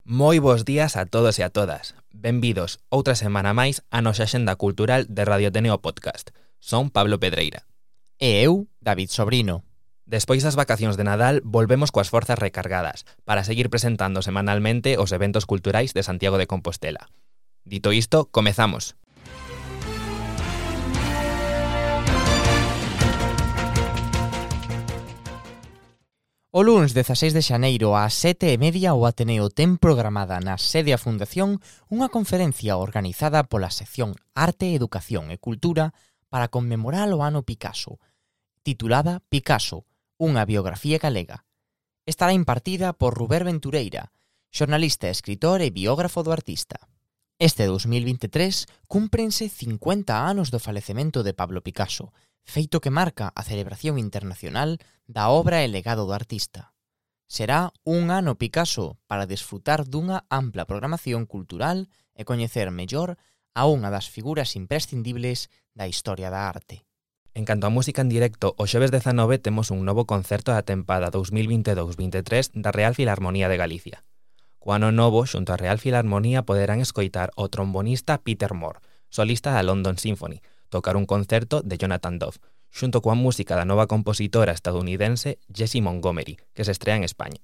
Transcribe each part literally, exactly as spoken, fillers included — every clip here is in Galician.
Moi bos días a todos e a todas. Benvidos outra semana máis a nosa axenda cultural de Radio Ateneo Podcast. Son Pablo Pedreira. E eu, David Sobrino. Despois das vacacións de Nadal, volvemos coas forzas recargadas para seguir presentando semanalmente os eventos culturais de Santiago de Compostela. Dito isto, comezamos. O luns dezaseis de xaneiro ás sete e media o Ateneo ten programada na sede a Fundación unha conferencia organizada pola sección Arte, Educación e Cultura para conmemorar o ano Picasso, titulada Picasso, unha biografía galega. Estará impartida por Ruber Ventureira, xornalista, escritor e biógrafo do artista. Este dous mil vinte e tres cúmprense cincuenta anos do falecemento de Pablo Picasso, feito que marca a celebración internacional da obra e legado do artista. Será un ano Picasso para desfrutar dunha ampla programación cultural e coñecer mellor a unha das figuras imprescindibles da historia da arte. En canto a música en directo, o xoves dezanove temos un novo concerto da tempada dous mil vinte e dous vinte e tres da Real Filarmonía de Galicia. Co ano novo, xunto á Real Filarmonía, poderán escoitar o trombonista Peter Moore, solista da London Symphony, tocar un concerto de Jonathan Dove, xunto coa música da nova compositora estadounidense Jessie Montgomery, que se estrea en España.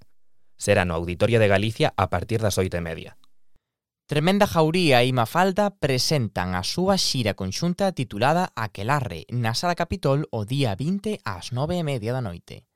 Será no Auditorio de Galicia a partir das oito e media. Tremenda Jauría e Mafalda presentan a súa xira conxunta titulada Aquelarre na Sala Capitol o día vinte ás nove e media da noite.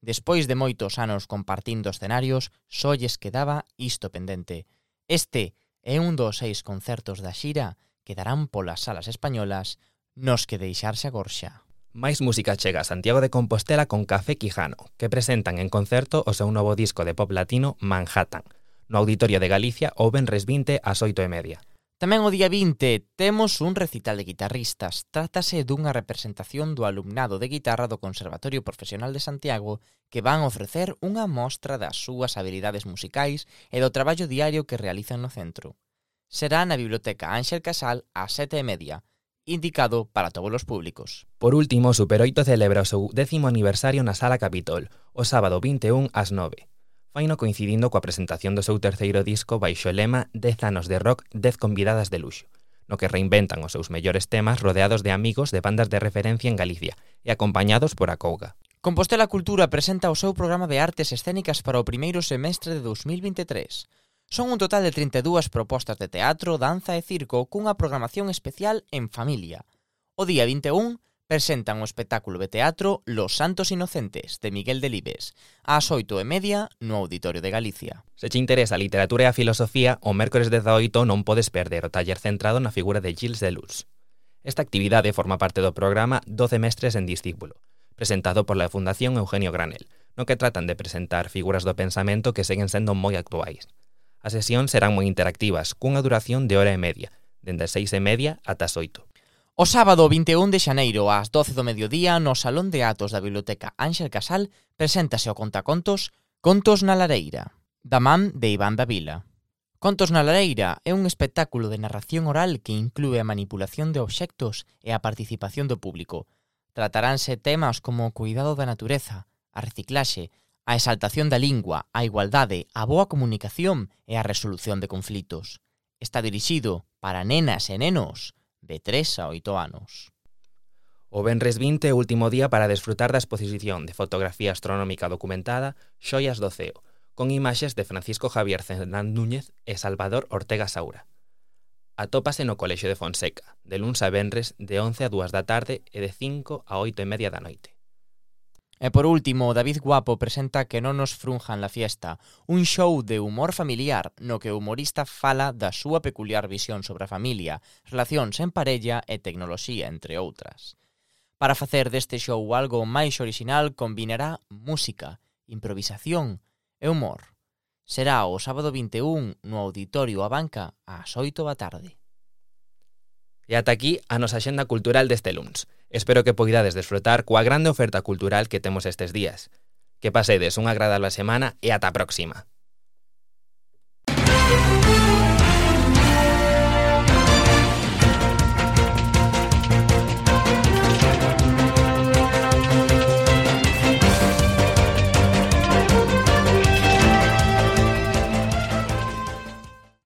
Despois de moitos anos compartindo escenarios, só lles quedaba isto pendente. Este é un dos seis concertos da xira que darán polas salas españolas nos que deixarse a gorxa. Máis música chega a Santiago de Compostela con Café Quijano, que presentan en concerto o seu novo disco de pop latino Manhattan, no Auditorio de Galicia o venres vinte ás oito e media. Tamén o día vinte temos un recital de guitarristas. Trátase dunha representación do alumnado de guitarra do Conservatorio Profesional de Santiago que van ofrecer unha mostra das súas habilidades musicais e do traballo diario que realizan no centro. Será na Biblioteca Ángel Casal ás sete e media, indicado para todos os públicos. Por último, Super oito celebra o seu décimo aniversario na Sala Capitol, o sábado vinte e un ás nove. Faino coincidindo coa presentación do seu terceiro disco baixo o lema dez anos de rock, dez convidadas de luxo, no que reinventan os seus mellores temas rodeados de amigos de bandas de referencia en Galicia e acompañados por Acouga. Compostela Cultura presenta o seu programa de artes escénicas para o primeiro semestre de dous mil vinte e tres. Son un total de trinta e dúas propostas de teatro, danza e circo cunha programación especial en familia. O día vinte e un presentan o espectáculo de teatro Los Santos Inocentes, de Miguel Delibes, ás oito e media no Auditorio de Galicia. Se te interesa a literatura e a filosofía, o mércores dezaoito non podes perder o taller centrado na figura de Gilles Deleuze. Esta actividade forma parte do programa doce mestres en discípulo, presentado por la Fundación Eugenio Granel, no que tratan de presentar figuras do pensamento que seguen sendo moi actuais. As sesións serán moi interactivas, cunha duración de hora e media, dende as seis e media ata as oito. O sábado vinte e un de xaneiro ás doce do mediodía no Salón de Atos da Biblioteca Ángel Casal preséntase o contacontos Contos na Lareira, da man de Iván Davila. Contos na Lareira é un espectáculo de narración oral que inclúe a manipulación de obxectos e a participación do público. Trataránse temas como o cuidado da natureza, a reciclaxe, a exaltación da lingua, a igualdade, a boa comunicación e a resolución de conflitos. Está dirixido para nenas e nenos de tres a oito anos. O venres vinte é o último día para desfrutar da exposición de fotografía astronómica documentada Xoias do Ceo, con imaxes de Francisco Javier Cendán Núñez e Salvador Ortega Saura. Atópase no Colexio de Fonseca, de luns a venres de once a dúas da tarde e de cinco a oito e media da noite. E por último, David Guapo presenta Que non nos frunjan la fiesta, un show de humor familiar no que o humorista fala da súa peculiar visión sobre a familia, relacións en parella e tecnoloxía, entre outras. Para facer deste show algo máis orixinal, combinará música, improvisación e humor. Será o sábado vinte e un no Auditorio A Banca ás oito da tarde. E ata aquí a nosa axenda cultural deste luns. Espero que poidades desfrutar coa grande oferta cultural que temos estes días. Que pasedes unha agradable semana e ata a próxima.